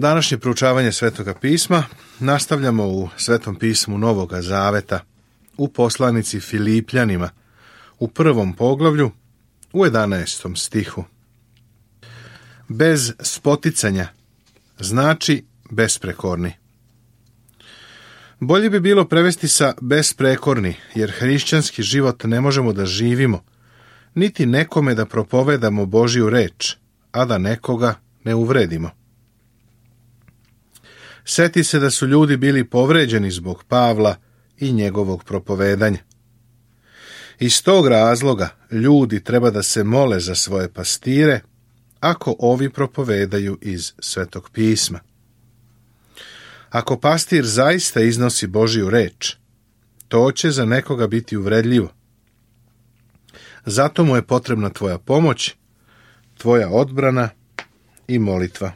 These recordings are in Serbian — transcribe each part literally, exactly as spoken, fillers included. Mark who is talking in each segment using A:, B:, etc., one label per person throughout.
A: Današnje proučavanje Svetoga pisma nastavljamo u Svetom pismu Novoga Zaveta, u poslanici Filipljanima, u prvom poglavlju, u jedanaestom stihu. Bez spoticanja znači besprekorni. Bolje bi bilo prevesti sa besprekorni, jer hrišćanski život ne možemo da živimo, niti nekome da propovedamo Božju reč, a da nekoga ne uvredimo. Seti se da su ljudi bili povređeni zbog Pavla i njegovog propovedanja. Iz tog razloga ljudi treba da se mole za svoje pastire, ako ovi propovedaju iz Svetog pisma. Ako pastir zaista iznosi Božju reč, to će za nekoga biti uvredljivo. Zato mu je potrebna tvoja pomoć, tvoja odbrana i molitva.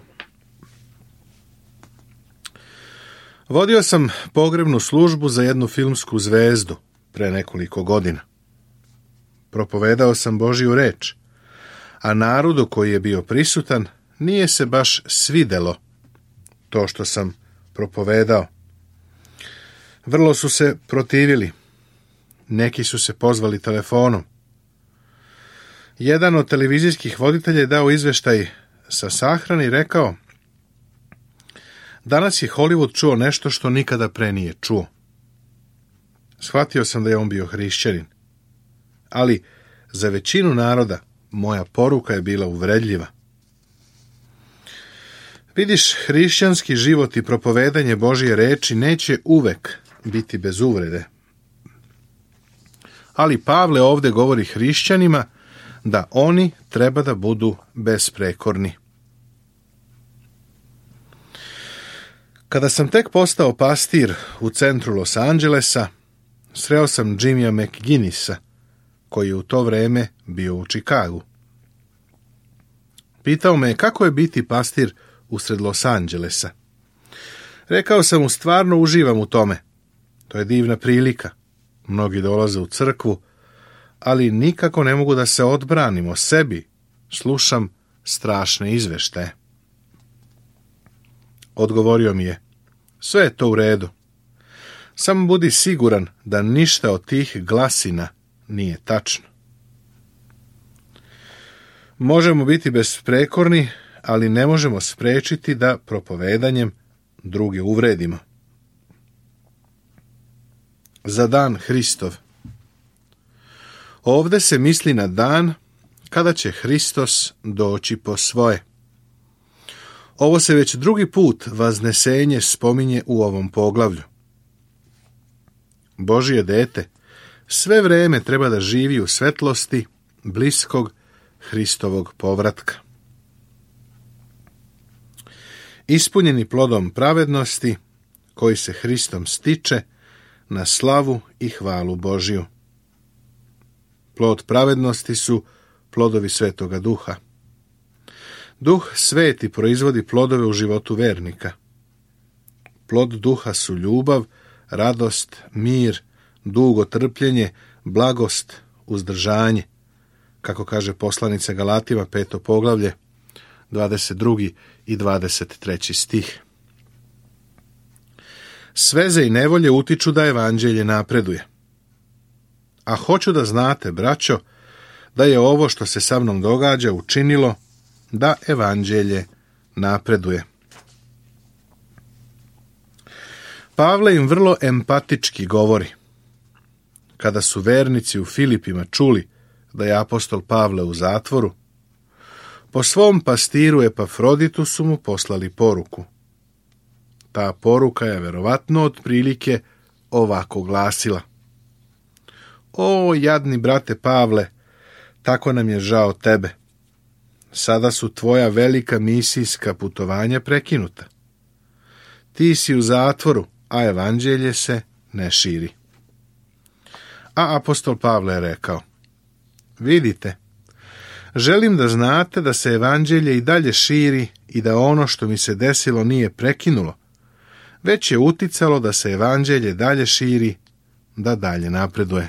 A: Vodio sam pogrebnu službu za jednu filmsku zvezdu pre nekoliko godina. Propovedao sam Božju reč, a narodu koji je bio prisutan nije se baš svidelo to što sam propovedao. Vrlo su se protivili. Neki su se pozvali telefonom. Jedan od televizijskih voditelja je dao izveštaj sa sahrane i rekao: danas je Hollywood čuo nešto što nikada pre nije čuo. Shvatio sam da je on bio hrišćanin, ali za većinu naroda moja poruka je bila uvredljiva. Vidiš, hrišćanski život i propovedanje Božje reči neće uvek biti bez uvrede. Ali Pavle ovde govori hrišćanima da oni treba da budu besprekorni. Kada sam tek postao pastir u centru Los Angelesa, sreo sam Jimmya McGinnisa, koji je u to vreme bio u Čikagu. Pitao me kako je biti pastir usred Los Angelesa. Rekao sam mu, stvarno uživam u tome. To je divna prilika. Mnogi dolaze u crkvu, ali nikako ne mogu da se odbranim o sebi. Slušam strašne izveštaje. Odgovorio mi je: sve je to u redu. Samo budi siguran da ništa od tih glasina nije tačno. Možemo biti besprekorni, ali ne možemo sprečiti da propovedanjem druge uvredimo. Za dan Hristov. Ovde se misli na dan kada će Hristos doći po svoje. Ovo se već drugi put vaznesenje spominje u ovom poglavlju. Božje dete sve vreme treba da živi u svetlosti bliskog Hristovog povratka. Ispunjeni plodom pravednosti, koji se Hristom stiče na slavu i hvalu Božju. Plod pravednosti su plodovi Svetoga Duha. Duh sveti proizvodi plodove u životu vernika. Plod Duha su ljubav, radost, mir, dugo trpljenje, blagost, uzdržanje, kako kaže poslanica Galatima, peto poglavlje, dvadeset drugi i dvadeset treći stih. Sveze i nevolje utiču da evanđelje napreduje. A hoću da znate, braćo, da je ovo što se sa mnom događa učinilo da evanđelje napreduje. Pavle im vrlo empatički govori. Kada su vernici u Filipima čuli da je apostol Pavle u zatvoru, po svom pastiru Epafroditu su mu poslali poruku. Ta poruka je verovatno otprilike ovako glasila: o, jadni brate Pavle, tako nam je žao tebe. Sada su tvoja velika misijska putovanja prekinuta. Ti si u zatvoru, a evanđelje se ne širi. A apostol Pavle je rekao: vidite, želim da znate da se evanđelje i dalje širi i da ono što mi se desilo nije prekinulo, već je uticalo da se evanđelje dalje širi, da dalje napreduje.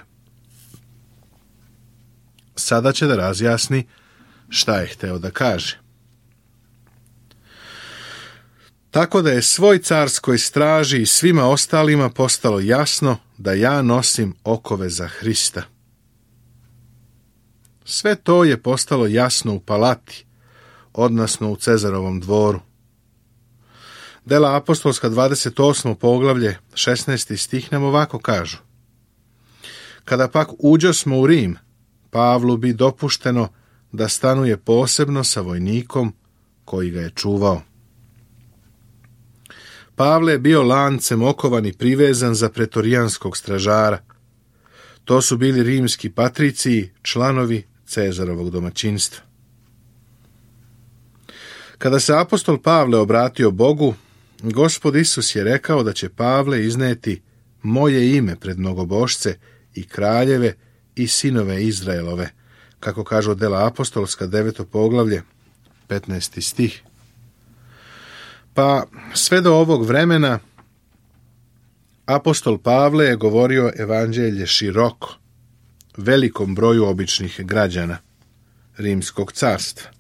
A: Sada će da razjasni šta je hteo da kaže. tako da je svoj carskoj straži i svima ostalima postalo jasno da ja nosim okove za Hrista. Sve to je postalo jasno u palati, odnosno u Cezarovom dvoru. Dela apostolska dvadeset osmo poglavlje, šesnaesti stih nam ovako kažu: Kada pak uđosmo u Rim, Pavlu bi dopušteno da stanuje posebno sa vojnikom koji ga je čuvao. Pavle je bio lancem okovan i privezan za pretorijanskog stražara. To su bili rimski patriciji, članovi Cezarovog domaćinstva. Kada se apostol Pavle obratio Bogu, Gospod Isus je rekao da će Pavle izneti moje ime pred mnogobošce i kraljeve i sinove Izraelove, kako kažu dela apostolska deveto poglavlje, petnaesti stih. Pa sve do ovog vremena apostol Pavle je govorio evanđelje široko, velikom broju običnih građana Rimskog carstva.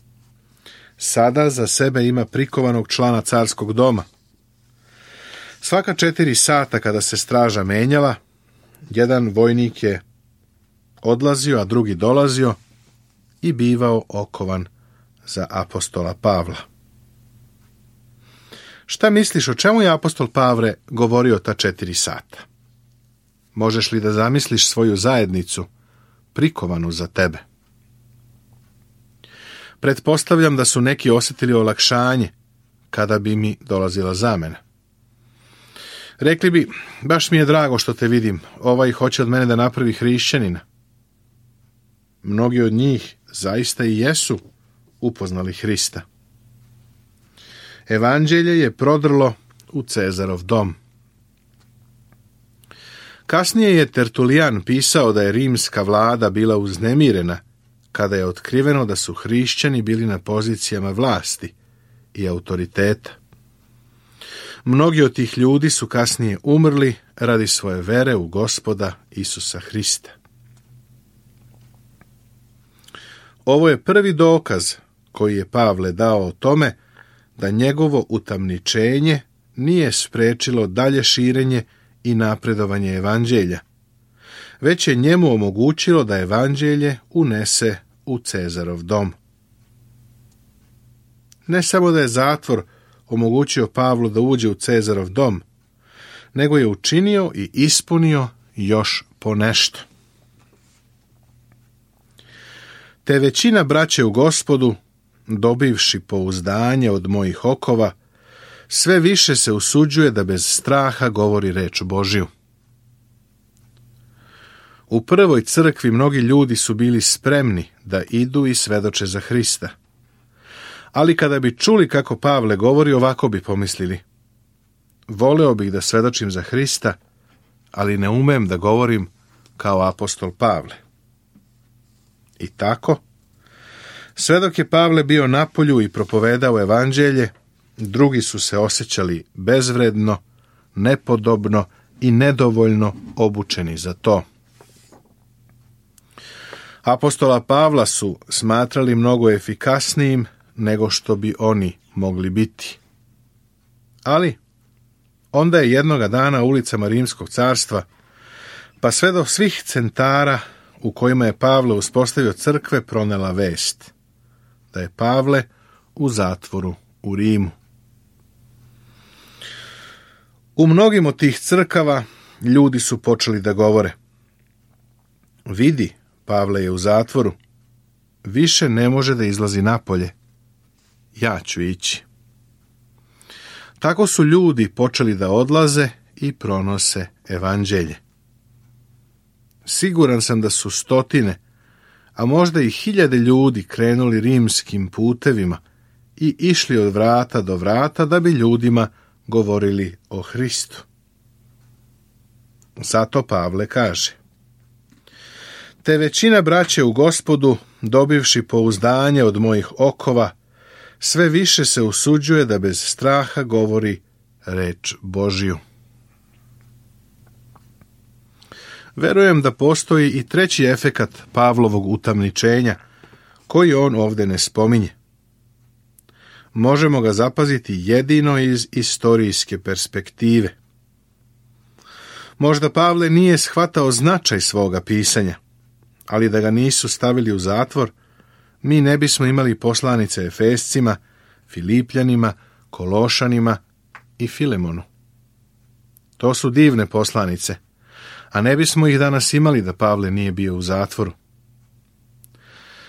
A: Sada za sebe ima prikovanog člana carskog doma. Svaka četiri sata kada se straža menjala, jedan vojnik je odlazio, a drugi dolazio i bivao okovan za apostola Pavla. Šta misliš, o čemu je apostol Pavle govorio ta četiri sata? Možeš li da zamisliš svoju zajednicu prikovanu za tebe? Pretpostavljam da su neki osjetili olakšanje kada bi mi dolazila zamena. Rekli bi, baš mi je drago što te vidim, ovaj hoće od mene da napravi hrišćanina. Mnogi od njih zaista i jesu upoznali Hrista. Evanđelje je prodrlo u Cezarov dom. Kasnije je Tertulijan pisao da je rimska vlada bila uznemirena kada je otkriveno da su hrišćani bili na pozicijama vlasti i autoriteta. Mnogi od tih ljudi su kasnije umrli radi svoje vere u Gospoda Isusa Hrista. Ovo je prvi dokaz koji je Pavle dao o tome da njegovo utamničenje nije sprečilo dalje širenje i napredovanje evanđelja, već je njemu omogućilo da evanđelje unese u Cezarov dom. Ne samo da je zatvor omogućio Pavlu da uđe u Cezarov dom, nego je učinio i ispunio još ponešto. Te većina braće u Gospodu, dobivši pouzdanje od mojih okova, sve više se usuđuje da bez straha govori reč Božju. U prvoj crkvi mnogi ljudi su bili spremni da idu i svedoče za Hrista. Ali kada bi čuli kako Pavle govori, ovako bi pomislili: voleo bih da svedočim za Hrista, ali ne umem da govorim kao apostol Pavle. I tako, sve dok je Pavle bio napolju i propovedao evanđelje, drugi su se osjećali bezvredno, nepodobno i nedovoljno obučeni za to. Apostola Pavla su smatrali mnogo efikasnijim nego što bi oni mogli biti. Ali onda je jednoga dana ulicama Rimskog carstva, pa sve do svih centara u kojima je Pavle uspostavio crkve, pronela vest da je Pavle u zatvoru u Rimu. U mnogim od tih crkava ljudi su počeli da govore: vidi, Pavle je u zatvoru, više ne može da izlazi napolje, ja ću ići. Tako su ljudi počeli da odlaze i pronose evanđelje. Siguran sam da su stotine, a možda i hiljade ljudi krenuli rimskim putevima i išli od vrata do vrata da bi ljudima govorili o Hristu. Zato Pavle kaže: te većina braće u Gospodu, dobivši pouzdanje od mojih okova, sve više se usuđuje da bez straha govori reč Božju. Verujem da postoji i treći efekat Pavlovog utamničenja, koji on ovdje ne spominje. možemo ga zapaziti jedino iz istorijske perspektive. Možda Pavle nije shvatao značaj svoga pisanja, ali da ga nisu stavili u zatvor, mi ne bismo imali poslanice Efescima, Filipljanima, Kološanima i Filemonu. To su divne poslanice, a ne bismo ih danas imali da Pavle nije bio u zatvoru.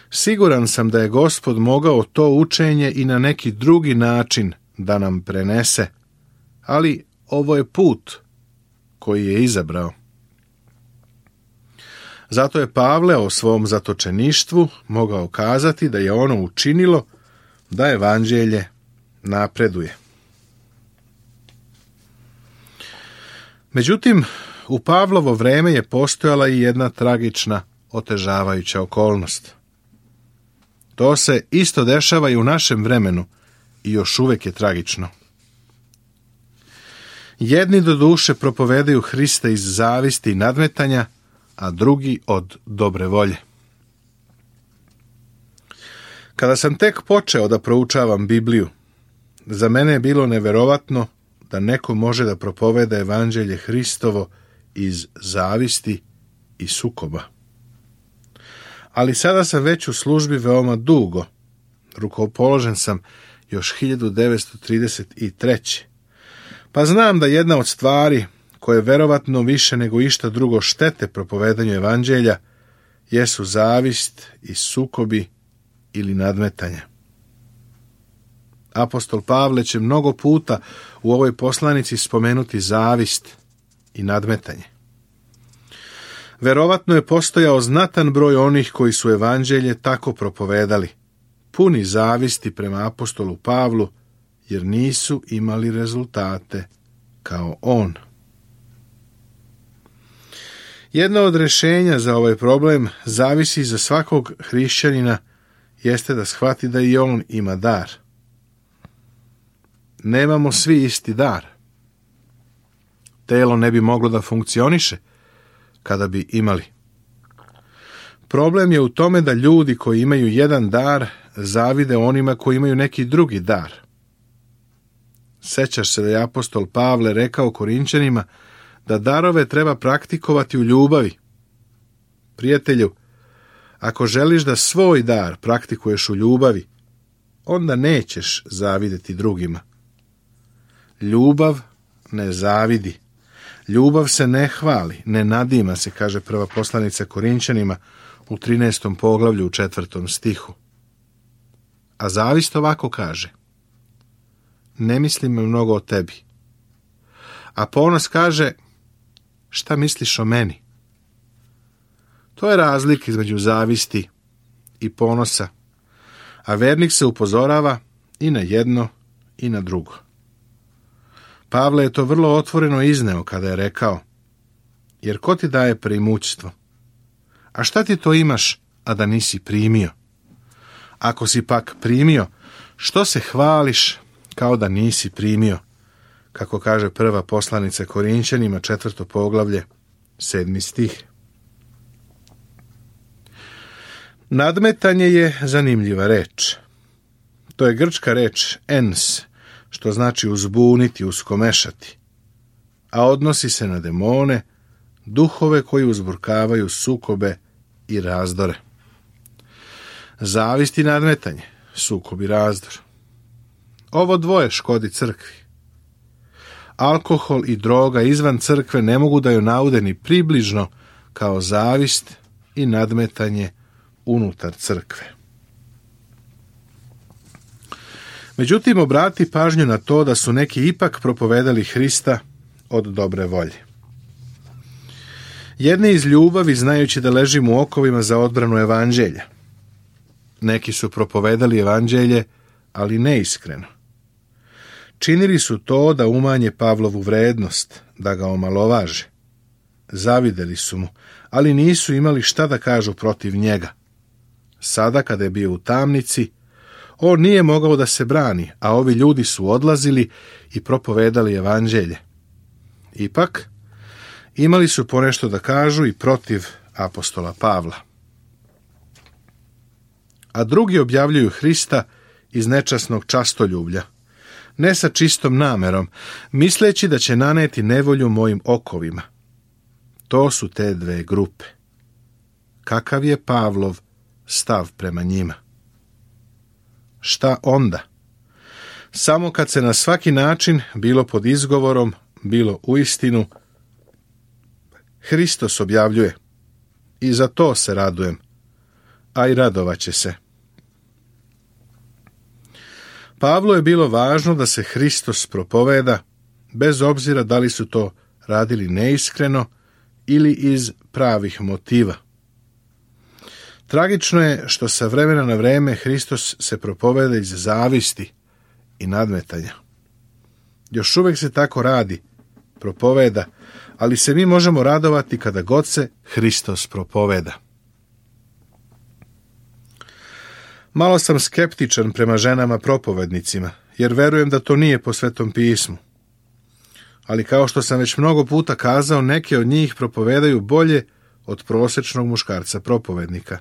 A: Siguran sam da je Gospod mogao to učenje i na neki drugi način da nam prenese, ali ovo je put koji je izabrao. Zato je Pavle o svom zatočeništvu mogao kazati da je ono učinilo da evanđelje napreduje. Međutim, u Pavlovo vreme je postojala i jedna tragična, otežavajuća okolnost. To se isto dešava i u našem vremenu i još uvijek je tragično. Jedni do duše propovedaju Hrista iz zavisti i nadmetanja, a drugi od dobre volje. Kada sam tek počeo da proučavam Bibliju, za mene je bilo neverovatno da neko može da propoveda evanđelje Hristovo iz zavisti i sukoba. Ali sada sam već u službi veoma dugo. Rukopoložen sam još hiljadu devetsto trideset treće. Pa znam da jedna od stvari koje verovatno više nego išta drugo štete propovedanju evanđelja jesu zavist i sukobi ili nadmetanja. Apostol Pavle će mnogo puta u ovoj poslanici spomenuti zavist i nadmetanje. Verovatno je postojao znatan broj onih koji su evanđelje tako propovedali, puni zavisti prema apostolu Pavlu, jer nisu imali rezultate kao on. Jedno od rješenja za ovaj problem zavisi za svakog hrišćanina jeste da shvati da i on ima dar. Nemamo svi isti dar. Telo ne bi moglo da funkcioniše kada bi imali. Problem je u tome da ljudi koji imaju jedan dar zavide onima koji imaju neki drugi dar. Sećaš se da je apostol Pavle rekao Korinčanima da darove treba praktikovati u ljubavi. Prijatelju, ako želiš da svoj dar praktikuješ u ljubavi, onda nećeš zavideti drugima. Ljubav ne zavidi. Ljubav se ne hvali, ne nadima se, kaže prva poslanica Korinčanima u trinaestom poglavlju u četvrtom stihu. A zavist ovako kaže: ne mislim mnogo o tebi. A ponos kaže: šta misliš o meni? To je razlika između zavisti i ponosa, a vernik se upozorava i na jedno i na drugo. Pavle je to vrlo otvoreno izneo kada je rekao: jer ko ti daje preimućstvo? A šta ti to imaš, a da nisi primio? Ako si pak primio, što se hvališ kao da nisi primio? Kako kaže prva poslanica Korinčanima, četvrto poglavlje, sedmi stih. Nadmetanje je zanimljiva reč. To je grčka reč ens, što znači uzbuniti, uskomešati, a odnosi se na demone, duhove koji uzburkavaju sukobe i razdore. Zavist i nadmetanje, sukob i razdor. Ovo dvoje škodi crkvi. Alkohol i droga izvan crkve ne mogu da ju naude ni približno kao zavist i nadmetanje unutar crkve. Međutim, obrati pažnju na to da su neki ipak propovedali Hrista od dobre volje. Jedni iz ljubavi, znajući da ležimo u okovima za odbranu evanđelja. Neki su propovedali evanđelje, ali neiskreno. Činili su to da umanje Pavlovu vrednost, da ga omalovaže. Zavideli su mu, ali nisu imali šta da kažu protiv njega. Sada, kada je bio u tamnici, on nije mogao da se brani, a ovi ljudi su odlazili i propovedali evanđelje. Ipak, imali su ponešto da kažu i protiv apostola Pavla. A drugi objavljuju Hrista iz nečasnog častoljublja, ne sa čistom namerom, misleći da će naneti nevolju mojim okovima. To su te dve grupe. Kakav je Pavlov stav prema njima? Šta onda? Samo kad se na svaki način, bilo pod izgovorom, bilo uistinu, Hristos objavljuje. I za to se radujem, a i radovaće se. Pavlu je bilo važno da se Hristos propoveda, bez obzira da li su to radili neiskreno ili iz pravih motiva. Tragično je što sa vremena na vreme Hristos se propoveda iz zavisti i nadmetanja. Još uvijek se tako radi, propoveda, ali se mi možemo radovati kada god se Hristos propoveda. Malo sam skeptičan prema ženama propovednicima, jer verujem da to nije po Svetom pismu. Ali kao što sam već mnogo puta kazao, neke od njih propovedaju bolje od prosječnog muškarca propovednika.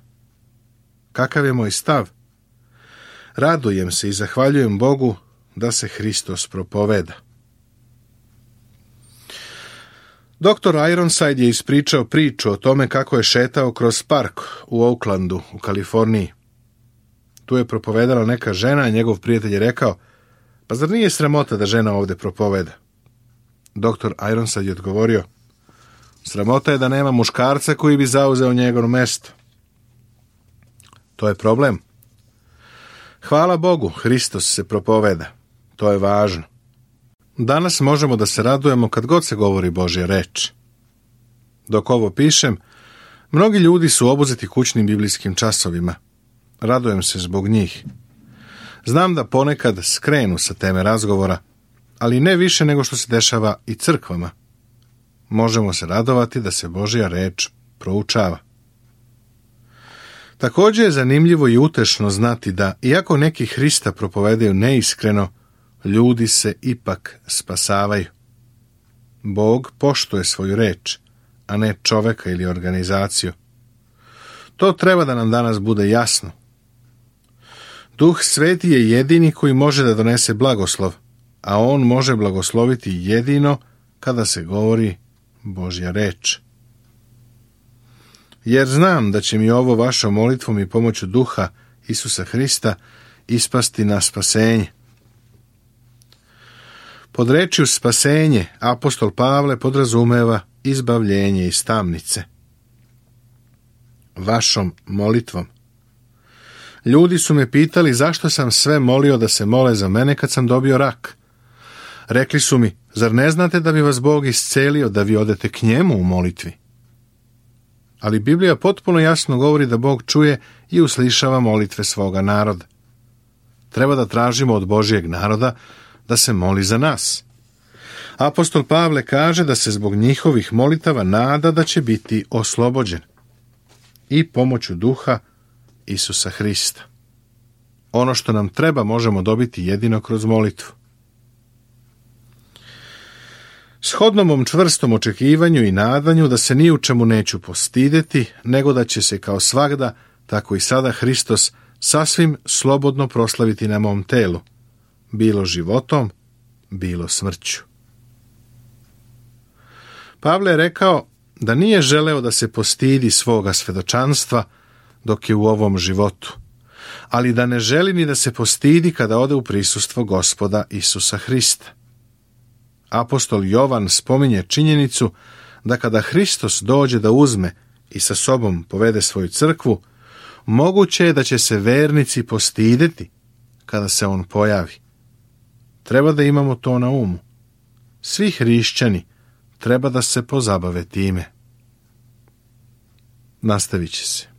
A: Kakav je moj stav? Radujem se i zahvaljujem Bogu da se Hristos propoveda. Doktor Ironside je ispričao priču o tome kako je šetao kroz park u Oaklandu, u Kaliforniji. Tu je propovedala neka žena, a njegov prijatelj je rekao, pa zar nije sramota da žena ovdje propoveda? Doktor Ironside je odgovorio, sramota je da nema muškarca koji bi zauzeo njegovo mjesto. To je problem. Hvala Bogu, Hristos se propoveda. To je važno. Danas možemo da se radujemo kad god se govori Božja reč. Dok ovo pišem, mnogi ljudi su obuzeti kućnim biblijskim časovima. Radujem se zbog njih. Znam da ponekad skrenu sa teme razgovora, ali ne više nego što se dešava i crkvama. Možemo se radovati da se Božja reč proučava. Također je zanimljivo i utešno znati da, iako neki Hrista propovedaju neiskreno, ljudi se ipak spasavaju. Bog poštuje svoju reč, a ne čoveka ili organizaciju. To treba da nam danas bude jasno. Duh Sveti je jedini koji može da donese blagoslov, a on može blagosloviti jedino kada se govori Božja reč. Jer znam da će mi ovo vašom molitvom i pomoću Duha Isusa Hrista ispasti na spasenje. Pod rečju spasenje apostol Pavle podrazumeva izbavljenje iz tamnice. Vašom molitvom. Ljudi su me pitali zašto sam sve molio da se mole za mene kad sam dobio rak. Rekli su mi, zar ne znate da bi vas Bog iscelio da vi odete k njemu u molitvi? Ali Biblija potpuno jasno govori da Bog čuje i uslišava molitve svoga naroda. Treba da tražimo od Božjeg naroda da se moli za nas. Apostol Pavle kaže da se zbog njihovih molitava nada da će biti oslobođen. I pomoću Duha Isusa Hrista. Ono što nam treba možemo dobiti jedino kroz molitvu. Shodno mom čvrstom očekivanju i nadanju da se ni u čemu neću postideti, nego da će se kao svagda, tako i sada Hristos sasvim slobodno proslaviti na mom telu, bilo životom, bilo smrću. Pavle je rekao da nije želeo da se postidi svoga svedočanstva dok je u ovom životu, ali da ne želi ni da se postidi kada ode u prisustvo Gospoda Isusa Hrista. Apostol Jovan spominje činjenicu da kada Hristos dođe da uzme i sa sobom povede svoju crkvu, moguće je da će se vernici postideti kada se on pojavi. Treba da imamo to na umu. Svi hrišćani treba da se pozabave time. Nastavit će se.